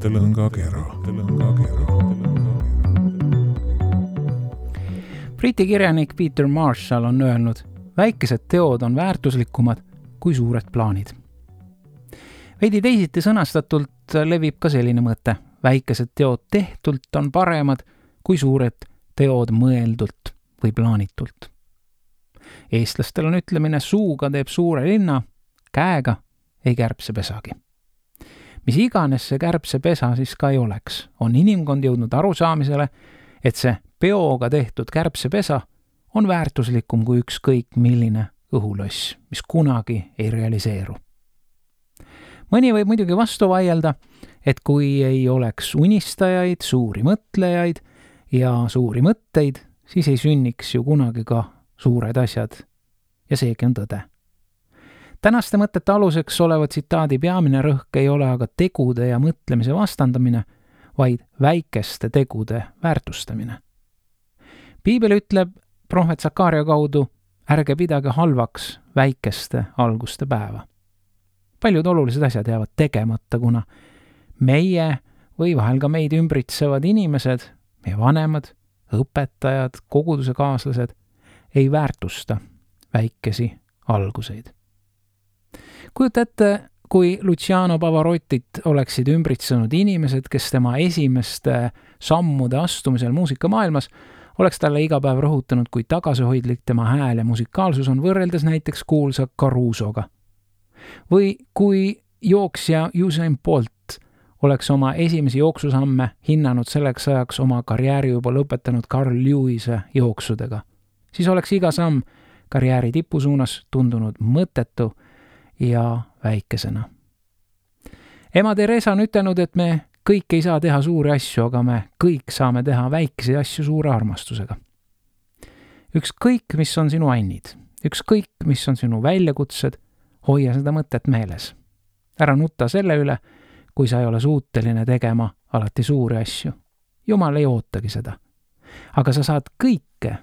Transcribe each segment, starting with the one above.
mõttelõngakera. Briti kirjanik Peter Marshall on öelnud, väikesed teod on väärtuslikumad kui suured plaanid. Veidi teisiti sõnastatult levib ka selline mõte. Väikesed teod tehtult on paremad kui suured teod mõeldult või plaanitult. Eestlastel on ütlemine, suuga teeb suure linna, käega ei kärbsepesagi. Mis iganes see kärbsepesa siis ka ei oleks, on inimkond jõudnud arusaamisele, et see peoga tehtud kärbsepesa on väärtuslikum kui ükskõik milline õhuloss, mis kunagi ei realiseeru. Mõni võib muidugi vastu vaielda, et kui ei oleks unistajaid, suuri mõtlejaid ja suuri mõtteid, siis ei sünniks ju kunagi ka suured asjad. Ja seegi on tõde. Tänaste mõtete aluseks oleva tsitaadi peamine rõhk ei ole aga tegude ja mõtlemise vastandamine, vaid väikeste tegude väärtustamine. Piibel ütleb prohvet Sakaaria kaudu, ärge pidage halvaks väikeste alguste päeva. Paljud olulised asjad jäävad tegemata, kuna meie või vahel ka meid ümbritsevad inimesed, meie vanemad, õpetajad, koguduse kaaslased ei väärtusta väikesi alguseid. Kujuta ette, kui Luciano Pavarottit oleksid ümbritsenud inimesed, kes tema esimeste sammude astumisel muusikamaailmas oleks talle iga päev rõhutanud, kui tagasihoidlik tema hääl ja musikaalsus on võrreldes näiteks kuulsa Carusoga. Või kui jooksja Usain Bolt oleks oma esimesi jooksusamme hinnanud selleks ajaks oma karjääri juba lõpetanud Carl Lewise jooksudega, siis oleks iga samm karjääri tipu suunas tundunud mõttetu ja väikesena. Ema Teresa on ütelnud, et me kõik ei saa teha suuri asju, aga me kõik saame teha väikesi asju suure armastusega. Ükskõik, mis on sinu annid, ükskõik, mis on sinu väljakutsed, hoia seda mõtet meeles. Ära nutta selle üle, kui sa ei ole suuteline tegema alati suuri asju. Jumal ei ootagi seda. Aga sa saad kõike,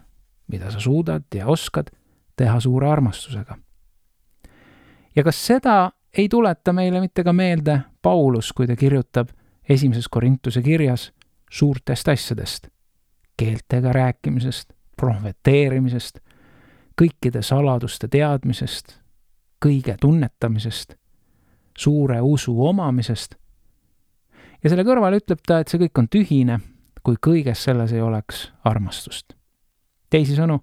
mida sa suudad ja oskad, teha suure armastusega. Ja kas seda ei tuleta meile mitte ka meelde Paulus, kui ta kirjutab 1. Korintuse kirjas suurtest asjadest, keeltega rääkimisest, profeteerimisest, kõikide saladuste teadmisest, kõige tunnetamisest, suure usu omamisest. Ja selle kõrval ütleb ta, et see kõik on tühine, kui kõiges selles ei oleks armastust. Teisisõnu,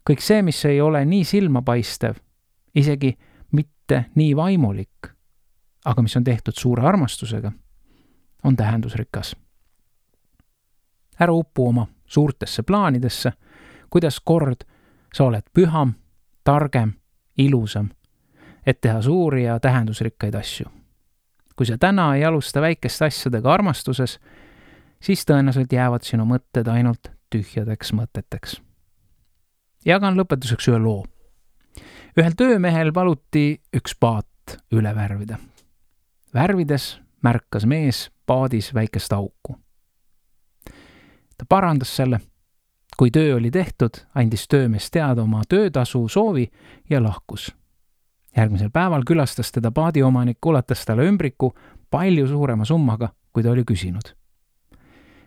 kõik see, mis ei ole nii silmapaistev, isegi mitte nii vaimulik, aga mis on tehtud suure armastusega, on tähendusrikas. Ära upu oma suurtesse plaanidesse, kuidas kord sa oled püham, targem, ilusam, et teha suuri ja tähendusrikkaid asju. Kui sa täna ei alusta väikeste asjadega armastuses, siis tõenäoliselt jäävad sinu mõtted ainult tühjadeks mõteteks. Jagan lõpetuseks ühe loo. Ühel töömehel paluti üks paat üle värvida. Värvides märkas mees paadis väikest auku. Ta parandas selle. Kui töö oli tehtud, andis töömees teada oma töötasu soovi ja lahkus. Järgmisel päeval külastas teda paadiomanik, ulatas talle ümbriku palju suurema summaga, kui ta oli küsinud.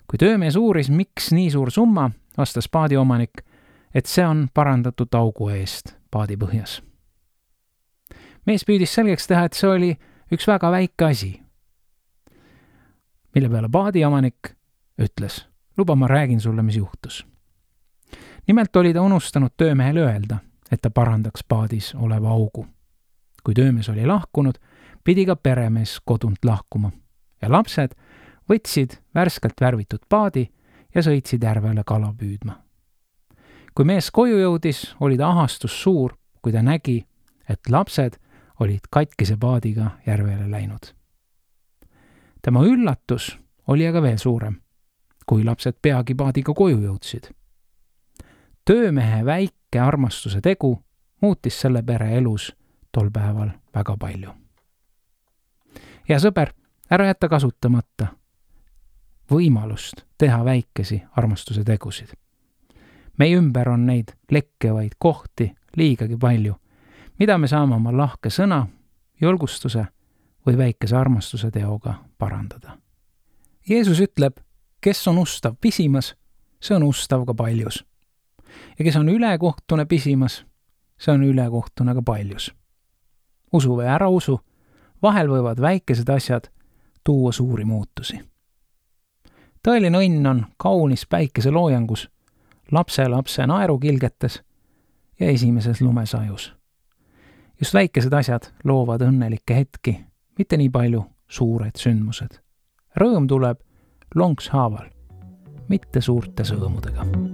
Kui töömees uuris, miks nii suur summa, vastas paadiomanik, et see on parandatud augu eest paadi põhjas. Mees püüdis selgeks teha, et see oli üks väga väike asi, mille peale paadiomanik ütles, luba ma räägin sulle, mis juhtus. Nimelt oli ta unustanud töömehele öelda, et ta parandaks paadis oleva augu. Kui töömees oli lahkunud, pidi ka peremees kodunt lahkuma ja lapsed võtsid värskelt värvitud paadi ja sõitsid järvele kala püüdma. Kui mees koju jõudis, oli ta ahastus suur, kui ta nägi, et lapsed olid katkise paadiga järvele läinud. Tema üllatus oli aga veel suurem, kui lapsed peagi paadiga koju jõudsid. Töömehe väike armastuse tegu muutis selle pere elus tol päeval väga palju. Ja sõber, ära jätta kasutamata võimalust teha väikesi armastuse tegusid. Meie ümber on neid lekkevaid kohti liigagi palju, mida me saame oma lahke sõna, julgustuse või väikese armastuse teoga parandada. Jeesus ütleb, kes on ustav pisimas, see on ustav ka paljus. Ja kes on ülekohtune pisimas, see on ülekohtune ka paljus. Usu või ära usu, vahel võivad väikesed asjad tuua suuri muutusi. Tõeline õnn on kaunis päikeseloojangus, lapse naerukilgetes ja esimeses lumesajus. Just väikesed asjad loovad õnnelikke hetki, mitte nii palju suured sündmused. Rõõm tuleb lonkshaaval, mitte suurte sõõmudega.